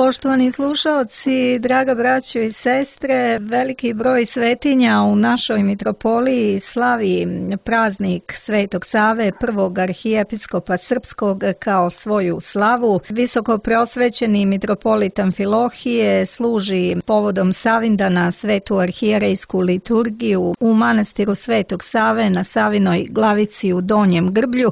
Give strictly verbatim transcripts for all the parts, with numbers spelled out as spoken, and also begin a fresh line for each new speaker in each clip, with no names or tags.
Poštovani slušaoci, draga braćo i sestre, veliki broj svetinja u našoj mitropoliji slavi praznik Svetog Save, prvog arhijepiskopa srpskog, kao svoju slavu. Visoko preosvećeni mitropolit Amfilohije služi povodom Savindana svetu arhijerejsku liturgiju u manastiru Svetog Save na Savinoj glavici u Donjem Grblju,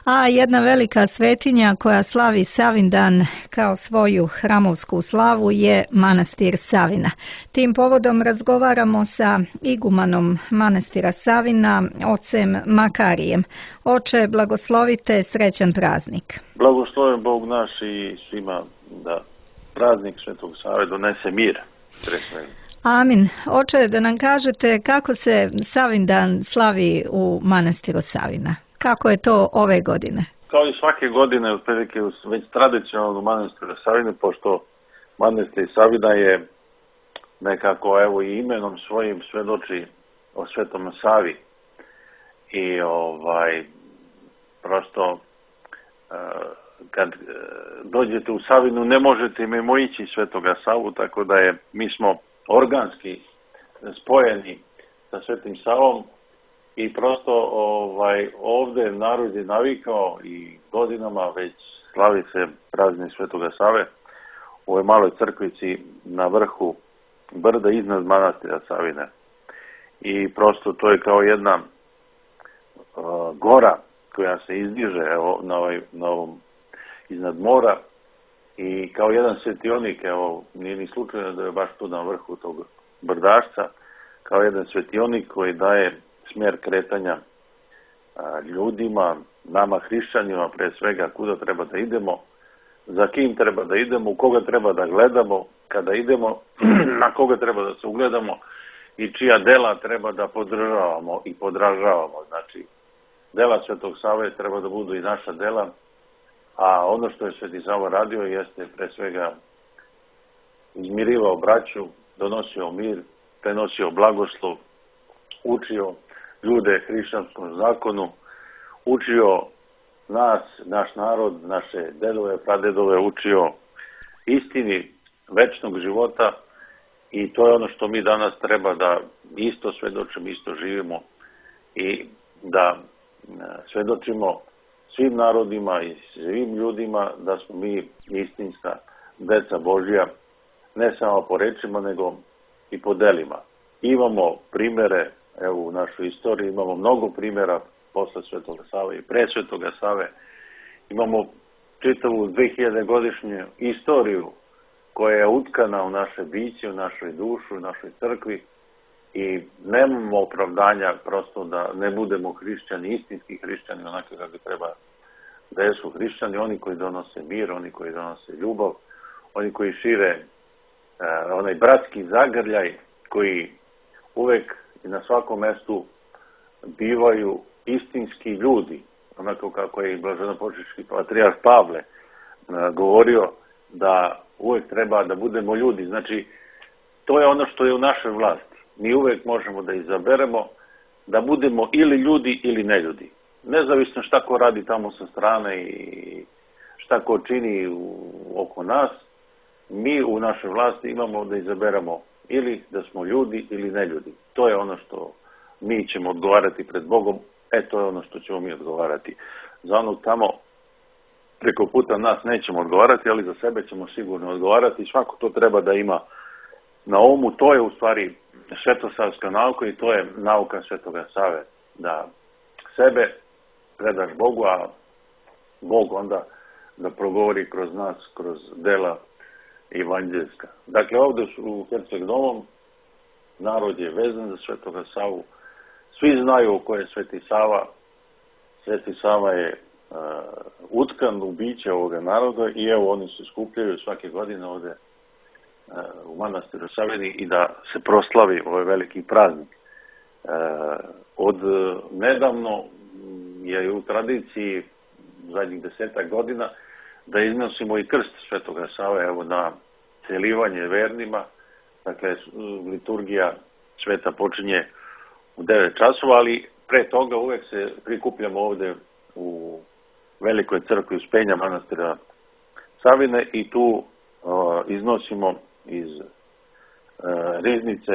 a jedna velika svetinja koja slavi Savindan kao svoju hramovsku slavu je manastir Savina. Tim povodom razgovaramo sa igumanom manastira Savina, ocem Makarijem. Oče, blagoslovite, srećan praznik.
Blagosloven Bog naš i svima da praznik Svetog Save donese mir.
Amin. Oče, da nam kažete kako se Savindan slavi u manastiru Savina. Kako je to ove godine?
Kao i svake godine, otprilike već tradicionalno u manastiru Savine, pošto manastir Savina je nekako evo i imenom svojim svedoči o Svetom Savi. I ovaj prosto kad dođete u Savinu ne možete mimo ići Svetoga Savu, tako da je mi smo organski spojeni sa Svetim Savom. I prosto ovaj, ovde narod je navikao i godinama već slavi se praznik Svetoga Save u ovoj maloj crkvici na vrhu brda iznad manastira Savine. I prosto to je kao jedna uh, gora koja se izdiže evo, na, ovaj, na ovom iznad mora i kao jedan svetionik, evo, nije ni slučajno da je baš tu na vrhu tog brdašca, kao jedan svetionik koji daje smjer kretanja a, ljudima, nama hrišćanima, pre svega kuda treba da idemo, za kim treba da idemo, u koga treba da gledamo, kada idemo, na koga treba da se ugledamo i čija dela treba da podržavamo i podražavamo. Znači, dela Svetog Save treba da budu i naša dela, a ono što je Sveti Sava radio jeste pre svega izmirivao braću, donosio mir, prenosio blagoslov, učio ljude hrišćanskom zakonu, učio nas, naš narod, naše dedove, pradedove, učio istini večnog života i to je ono što mi danas treba da isto svedočimo, isto živimo i da svedočimo svim narodima i svim ljudima da smo mi istinska deca Božja, ne samo po rečima, nego i po delima. Imamo primere, evo u našoj istoriji imamo mnogo primjera posle Svetoga Save i pre Svetoga Save. Imamo čitavu dvehiljade godišnju istoriju koja je utkana u naše biće, u našoj dušu, u našoj crkvi i nemamo opravdanja prosto da ne budemo hrišćani, istinski hrišćani, onako kako treba da jesu hrišćani, oni koji donose mir, oni koji donose ljubav, oni koji šire eh, onaj bratski zagrljaj, koji uvek i na svakom mestu bivaju istinski ljudi, onako kako je i blaženopočivši patrijarh Pavle govorio da uvek treba da budemo ljudi. Znači, to je ono što je u našoj vlasti. Mi uvek možemo da izaberemo da budemo ili ljudi ili neljudi. Nezavisno šta ko radi tamo sa strane i šta ko čini u, oko nas, mi u našoj vlasti imamo da izaberemo ili da smo ljudi ili ne ljudi. To je ono što mi ćemo odgovarati pred Bogom, e to je ono što ćemo mi odgovarati. Za onog tamo preko puta nas nećemo odgovarati, ali za sebe ćemo sigurno odgovarati. Svako to treba da ima na umu. To je u stvari svetosavska nauka i to je nauka Svetoga Save. Da sebe predaš Bogu, a Bog onda da progovori kroz nas, kroz dela evanđelska. Dakle, ovde u Herceg Novom narod je vezan za Svetoga Savu. Svi znaju ko je Sveti Sava. Sveti Sava je uh, utkan u biće ovoga naroda i evo oni se skupljaju svake godine ovde uh, u manastiru Savini i da se proslavi ovaj veliki praznik. Uh, od nedavno je u tradiciji zadnjih desetak godina da iznosimo i krst Svetoga Save, evo na celivanje vernima. Dakle, liturgija sveta počinje u devet časova, ali pre toga uvek se prikupljamo ovde u velikoj crkvi Uspenja manastira Savine i tu iznosimo iz riznice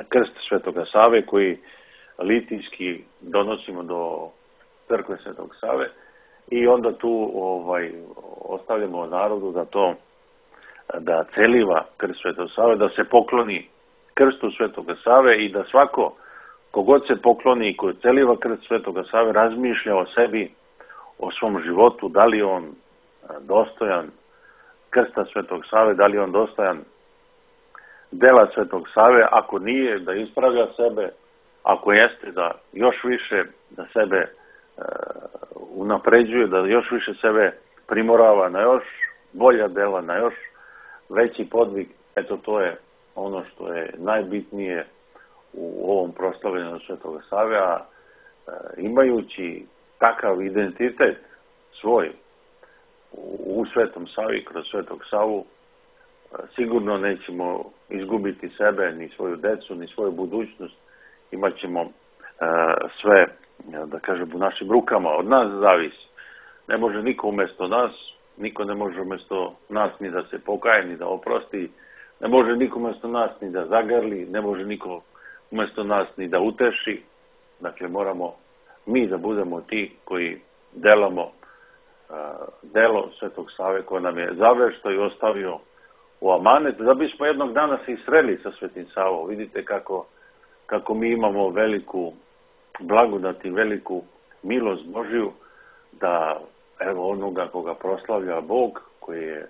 krst Svetoga Save koji litijski donosimo do crkve Svetog Save i onda tu ovaj, ostavljamo narodu da to da celiva krst Svetog Save, da se pokloni krstu Svetoga Save i da svako kogod se pokloni i ko celiva krst Svetoga Save razmišlja o sebi, o svom životu, da li on dostojan krsta Svetog Save, da li on dostojan dela Svetog Save, ako nije da ispravlja sebe, ako jeste da još više da sebe e, unapređuje, da još više sebe primorava na još bolja dela, na još veći podvig. Eto, to je ono što je najbitnije u ovom proslavljanju Svetoga Save, a e, imajući takav identitet svoj u, u Svetom Savi, kroz Svetog Savu, e, sigurno nećemo izgubiti sebe, ni svoju decu, ni svoju budućnost. Imaćemo e, sve, da kažem, u našim rukama, od nas zavisi. Ne može niko umjesto nas, niko ne može umjesto nas ni da se pokaje, ni da oprosti, ne može niko umjesto nas ni da zagrli, ne može niko umjesto nas ni da uteši. Dakle, moramo mi da budemo ti koji delamo uh, delo Svetog Save koje nam je zavešto i ostavio u amanet, da bismo jednog dana se i sreli sa Svetim Savom. Vidite kako, kako mi imamo veliku blagodat i veliku milost Božiju, da evo onoga koga proslavlja Bog, koji je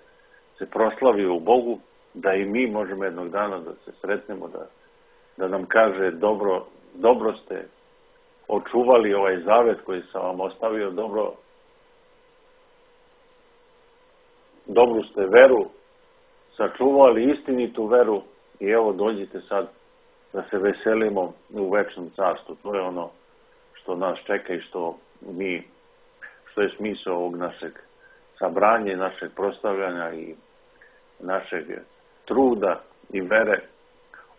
se proslavio u Bogu, da i mi možemo jednog dana da se sretnemo, da, da nam kaže dobro, dobro ste očuvali ovaj zavet koji sam vam ostavio, dobro, dobru ste veru sačuvali, istinitu veru i evo dođite sad da se veselimo u večnom carstvu. To je ono što nas čeka i što mi, što je smisao ovog našeg sabranja, našeg proslavljanja i našeg truda i vere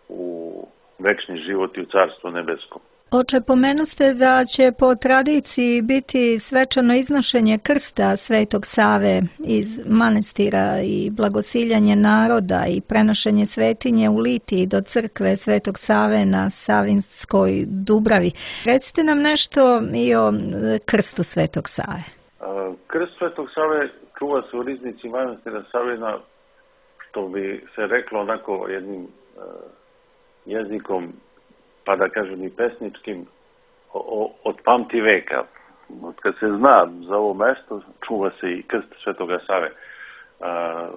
u večni život i u carstvo nebesko.
Oče, pomenuste da će po tradiciji biti svečano iznošenje krsta Svetog Save iz manastira i blagosiljanje naroda i prenošenje svetinje u Litiji do crkve Svetog Save na Savinskoj Dubravi. Recite nam nešto i o krstu Svetog Save.
Krst Svetog Save čuva se u riznici manastira Savina, što bi se reklo onako jednim jezikom, pa da kažem i pesničkim, o, od pamti veka. Od kad se zna za ovo mesto, čuva se i krst Svetoga Save. A,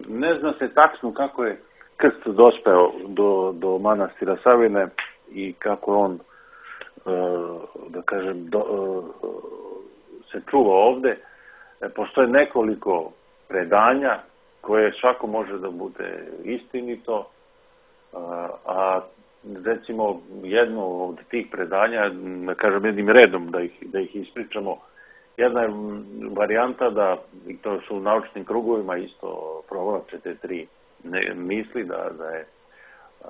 ne zna se tačno kako je krst dospeo do, do manastira Savine i kako on, a, da kažem, do, a, se čuva ovde. E, postoje nekoliko predanja koje svako može da bude istinito, a, a recimo jedno od tih predanja, da kažem jednim redom da ih, da ih ispričamo, jedna je varijanta da, i to su u naučnim krugovima isto provlače te tri ne, misli, da, da je a,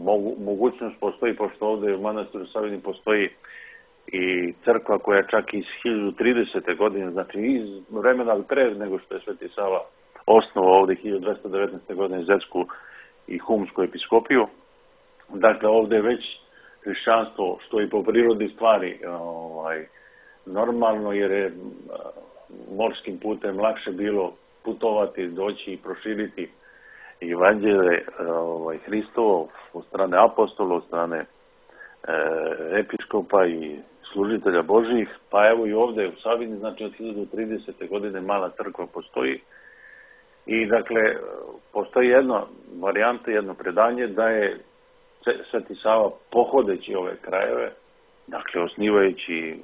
mogu, mogućnost postoji, pošto ovde u manastiru Savini postoji i crkva koja čak iz hiljadu tridesete godine, znači iz vremena pre nego što je Sveti Sava osnovao ovde hiljadu dvesta devetnaeste. godine Zetsku i Humsku episkopiju. Dakle, ovde je već hrišćanstvo, što i po prirodi stvari ovaj, normalno, jer je morskim putem lakše bilo putovati, doći i proširiti evanđelje ovaj, Hristovo od strane apostola, od strane e, episkopa i služitelja Božih. Pa evo i ovde u Savini, znači od hiljadu tridesete. godine mala crkva postoji. I dakle, postoji jedna varijanta, jedno predanje da je Sveti Sava pohodeći ove krajeve, dakle osnivajući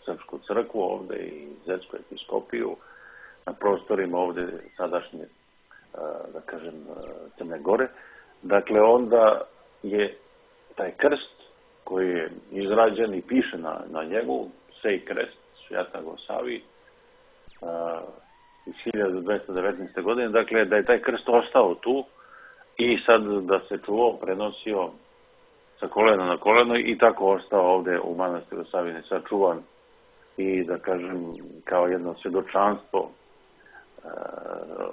Srpsku crkvu ovde i Zetsku episkopiju na prostorima ovde sadašnje, da kažem, Crne Gore, dakle onda je taj krst koji je izrađen i piše na, na njegu, Sej krest, Svjatago Savi, iz hiljadu dvesta devetnaeste. godine, dakle da je taj krst ostao tu i sad da se čuvao, prenosio sa kolena na koleno i tako ostao ovde u manastiru Savine sačuvan i da kažem kao jedno svjedočanstvo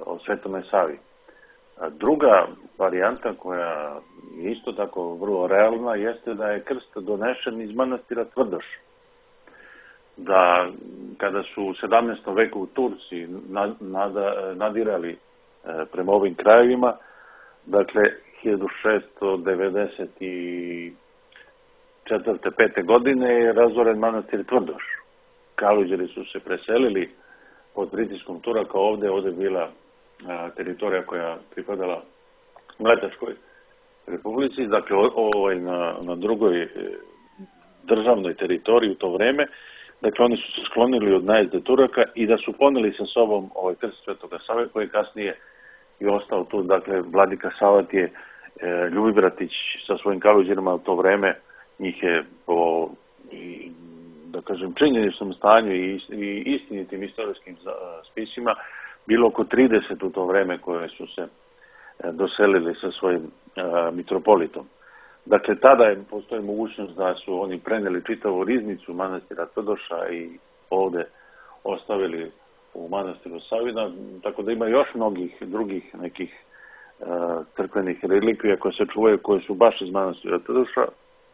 o Svetome Savi. Druga varijanta koja je isto tako vrlo realna jeste da je krst donešen iz manastira Tvrdoš. Da kada su u sedamnaestom veku Turci nadirali prema ovim krajevima, dakle hiljadu šeststo devedeset četvrte pete godine je razoren manastir Tvrdoš. Kaluđeri su se preselili pod pritiskom Turaka ovde, ovde je bila teritorija koja pripadala Mletačkoj republici, dakle ovaj na, na drugoj državnoj teritoriji u to vreme. Dakle, oni su se sklonili od najezde Turaka i da su poneli sa sobom ovaj krst Svetoga Save, koji je kasnije i ostao tu. Dakle, vladika Savat je e, Ljubibratić sa svojim kaluđerima u to vreme, njih je po, i, da kažem, činjeničnom stanju i, i istinitim istorijskim spisima bilo oko trideset u to vreme koje su se e, doselili sa svojim e, mitropolitom. Dakle, tada je postoji mogućnost da su oni preneli čitavu riznicu manastira Tvrdoša i ovde ostavili u manastiru Savina, tako da ima još mnogih drugih nekih e, crkvenih relikvija koje se čuvaju, koje su baš iz manastira Tvrdoša,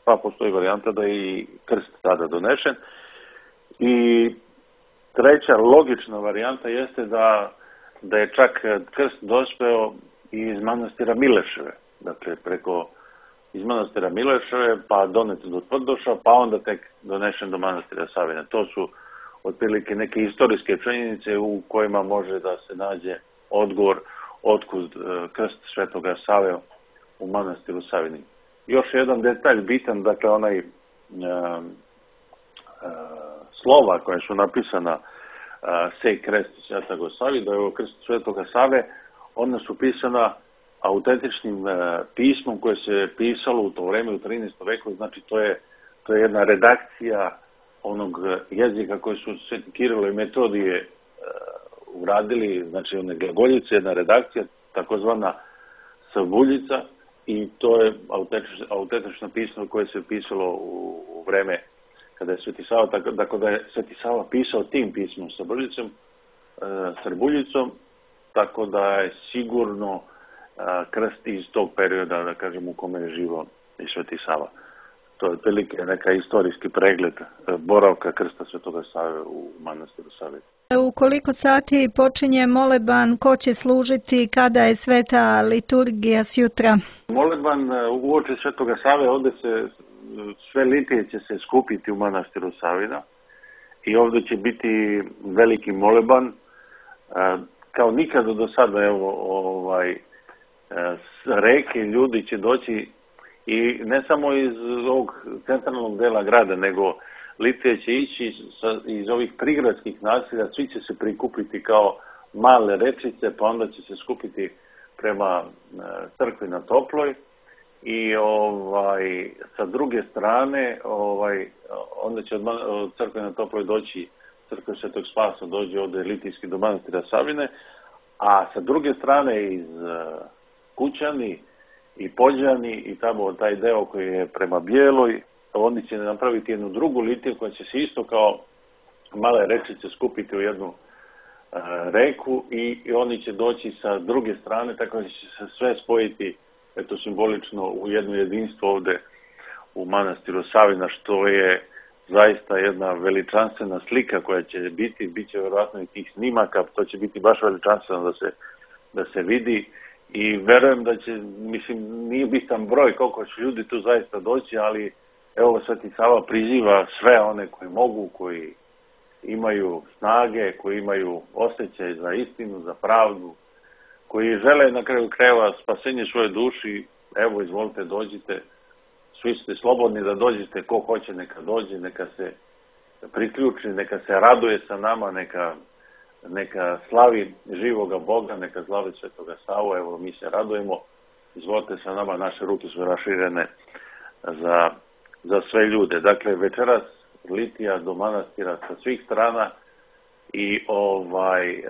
pa postoji varijanta da je i krst tada donešen. I treća logična varijanta jeste da, da je čak krst dospeo i iz manastira Mileševe, dakle preko iz manastira Mileševe, pa donet do Tvrdoša, pa onda tek donešen do manastira Savina. To su otprilike neke istorijske činjenice u kojima može da se nađe odgovor otkud krst Svetoga Save u manastiru Savini. Još jedan detalj bitan, dakle onaj e, e, slova koja su napisana e, Sej krest Svetoga Savi, da je ovo krst Svetoga Save, ona su pisana autentičnim e, pismom koje se pisalo u to vreme u trinaestom veku, znači to je, to je jedna redakcija onog jezika koje su Sveti Kirilo i Metodije e, uradili, znači one glagoljice, jedna redakcija, takozvana Srbuljica, i to je autentično, autentično pismo koje se pisalo u, u vreme kada je Sveti Sava, tako, tako da je Sveti Sava pisao tim pismom Srbuljicom, e, Srbuljicom, tako da je sigurno krst iz tog perioda, da kažem, u kome je živo i Sveti Sava. To je otprilike neka istorijski pregled boravka krsta Svetoga Save u manastiru Savi.
U koliko sati počinje moleban, ko će služiti, kada je sveta liturgija sjutra?
Moleban uoči Svetoga Save, ovde se sve litije će se skupiti u manastiru Savina i ovde će biti veliki moleban. Kao nikada do sada, evo, ovaj, s reke ljudi će doći i ne samo iz ovog centralnog dela grada, nego litije će ići sa, iz ovih prigradskih naselja, svi će se prikupiti kao male rečice, pa onda će se skupiti prema crkvi na Toploj i ovaj, sa druge strane ovaj, onda će od, od crkve na Toploj doći crkve Svetog Spasa, dođe ovde litijski do manastira Savine, a sa druge strane iz Kućani i Pođani i tamo taj deo koji je prema Bijeloj, oni će napraviti jednu drugu litiju koja će se isto kao male rečice skupiti u jednu e, reku i, i oni će doći sa druge strane, tako da će se sve spojiti, eto, simbolično u jedno jedinstvo ovde u manastiru Savina, što je zaista jedna veličanstvena slika koja će biti, bit će verovatno i tih snimaka, to će biti baš veličanstveno da se, da se vidi. I verujem da će, mislim, nije bitan broj koliko će ljudi tu zaista doći, ali evo Sveti Sava priziva sve one koji mogu, koji imaju snage, koji imaju osjećaj za istinu, za pravdu, koji žele na kraju krajeva spasenje svoje duši. Evo, izvolite, dođite, svi ste slobodni da dođete, ko hoće neka dođe, neka se priključi, neka se raduje sa nama, neka neka slavi živoga Boga, neka slavi Svetoga Savu, evo mi se radujemo, izvolite sa nama, naše ruke su raširene za, za sve ljude. Dakle, večeras litija do manastira sa svih strana i ovaj,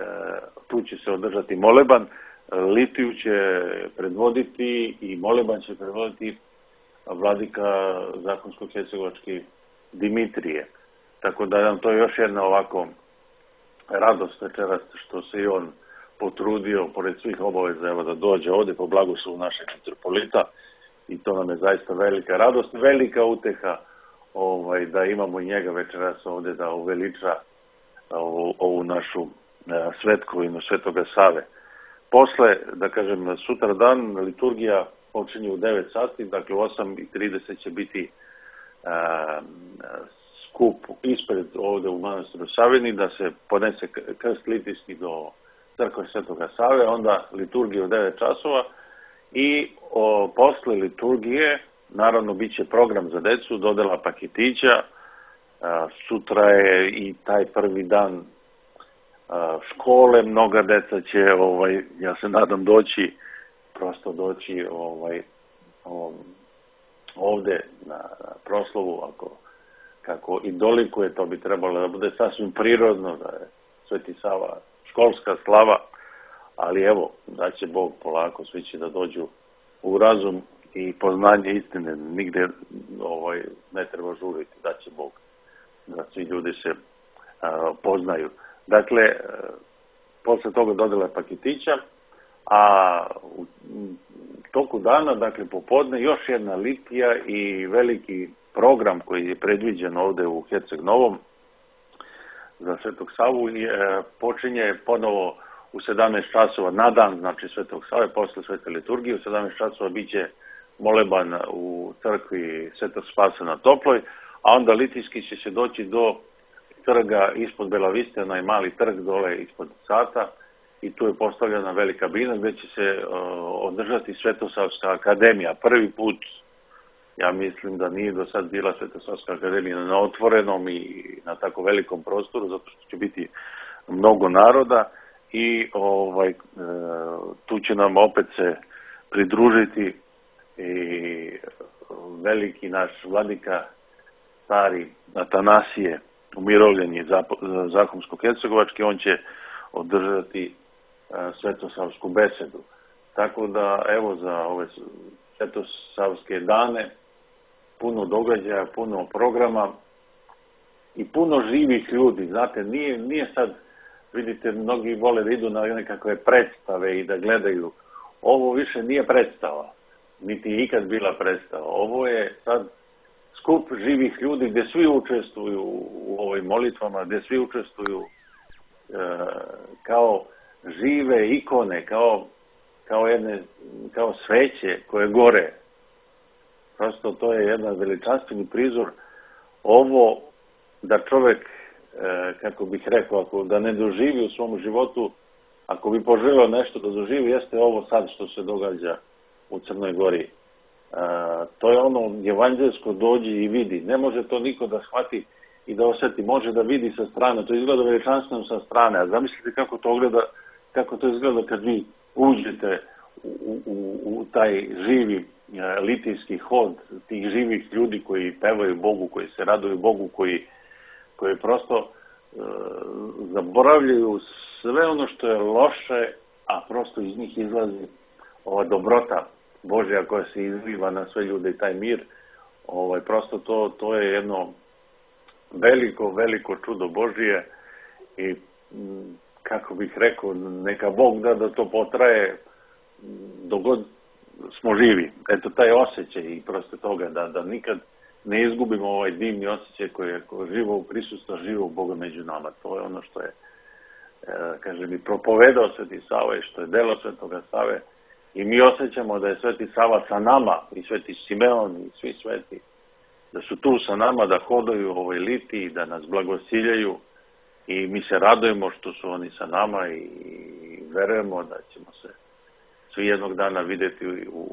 tu će se održati moleban, litiju će predvoditi i moleban će predvoditi vladika zakonsko-hercegovački Dimitrije. Tako da nam to je još jedna ovako radost večeras što se i on potrudio, pored svih obaveza, evo, da dođe ovdje po blagoslovu našeg mitropolita, i to nam je zaista velika radost, velika uteha ovaj, da imamo i njega večeras ovdje da uveliča ovu, ovu našu svetkovinu Svetoga Save. Posle, da kažem, sutra dan liturgija počinje u devet sati, dakle u osam i trideset će biti a, skup ispred ovdje u manastiru Savini, da se podnese krst litijski do crkve Svetoga Save, onda liturgija u devet časova i o, posle liturgije, naravno, bit će program za decu, dodela paketića, a, sutra je i taj prvi dan a, škole, mnoga deca će, ovaj, ja se nadam, doći, prosto doći ovaj, ovde na, na proslavu, ako, kako i dolikuje, to bi trebalo da bude sasvim prirodno, da je Sveti Sava školska slava, ali evo, da će Bog polako, svi će da dođu u razum i poznanje istine, nigde ovaj, ne treba žuriti, da će Bog, da svi ljudi se a, poznaju. Dakle, a, posle toga dodela paketića, a u toku dana, dakle popodne, još jedna litija i veliki program koji je predviđen ovde u Herceg Novom za Svetog Savu je, počinje ponovo u sedamnaest časova na dan, znači Svetog Save, posle Svete liturgije, u sedamnaest časova biće moleban u crkvi Svetog Spasa na Toploj, a onda litijski će se doći do trga ispod Bela Viste, onaj mali trg dole ispod Sata, i tu je postavljena velika bina gdje će se uh, održati Svetosavska akademija. Prvi put, ja mislim da nije do sad bila Svetosavska akademija na otvorenom i na tako velikom prostoru, zato što će biti mnogo naroda i ovaj, uh, tu će nam opet se pridružiti i veliki naš vladika, stari Atanasije, umirovljeni Zahumsko-Hercegovački, on će održati svetosavsku besedu. Tako da, evo, za ove svetosavske dane puno događaja, puno programa i puno živih ljudi. Znate, nije, nije sad, vidite, mnogi vole da idu na nekakve predstave i da gledaju. Ovo više nije predstava, niti je ikad bila predstava. Ovo je sad skup živih ljudi gdje svi učestvuju u ovim molitvama, gdje svi učestvuju e, kao žive ikone, kao, kao, jedne, kao sveće koje gore. Prosto to je jedan veličanstveni prizor. Ovo da čovjek, e, kako bih rekao, ako da ne doživi u svom životu, ako bi poželio nešto da doživi, jeste ovo sad što se događa u Crnoj Gori. E, to je ono evanđelsko dođi i vidi. Ne može to niko da shvati i da osjeti. Može da vidi sa strane. To izgleda veličanstveno sa strane. A zamislite kako to gleda, kako to izgleda kad vi uđete u, u, u taj živi e, litijski hod tih živih ljudi koji pevaju Bogu, koji se raduju Bogu, koji, koji prosto e, zaboravljaju sve ono što je loše, a prosto iz njih izlazi ova dobrota Božja koja se izliva na sve ljude i taj mir. Ovaj, prosto to, to je jedno veliko, veliko čudo Božije i kako bih rekao, neka Bog da da to potraje dok god smo živi. Eto, taj osjećaj i prosto toga da, da nikad ne izgubimo ovaj divni osjećaj koji je živo u prisustvu živog Boga među nama. To je ono što je, e, kaže mi, propovedao Sveti Sava i što je delo Svetoga Save. I mi osjećamo da je Sveti Sava sa nama, i Sveti Simeon i svi sveti, da su tu sa nama, da hodaju u ovoj litiji, da nas blagosiljaju i mi se radujemo što su oni sa nama i verujemo da ćemo se svi jednog dana vidjeti u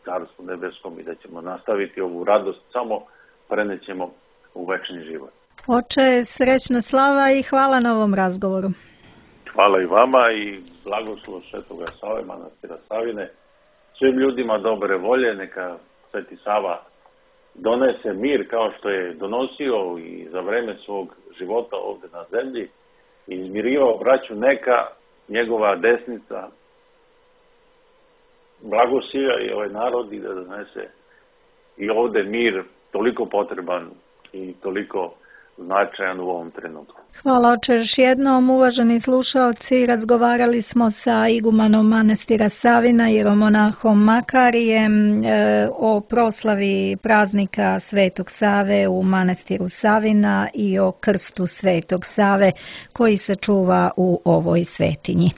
Carstvu nebeskom i da ćemo nastaviti ovu radost, samo prenećemo u večni život.
Oče, srećna slava i hvala na ovom razgovoru.
Hvala i vama i blagoslov Svetoga Save, manastira Savine. Svim ljudima dobre volje, neka Sveti Sava donese mir kao što je donosio i za vreme svog života ovdje na zemlji i izmirivao braću, neka njegova desnica blagosilja i ovaj narod i da donese i ovdje mir toliko potreban i toliko značajan u ovom trenutku.
Hvala oče još jednom, uvaženi slušalci, razgovarali smo sa igumanom manastira Savina, jeromonahom Makarijem e, o proslavi praznika Svetog Save u manastiru Savina i o krstu Svetog Save koji se čuva u ovoj svetinji.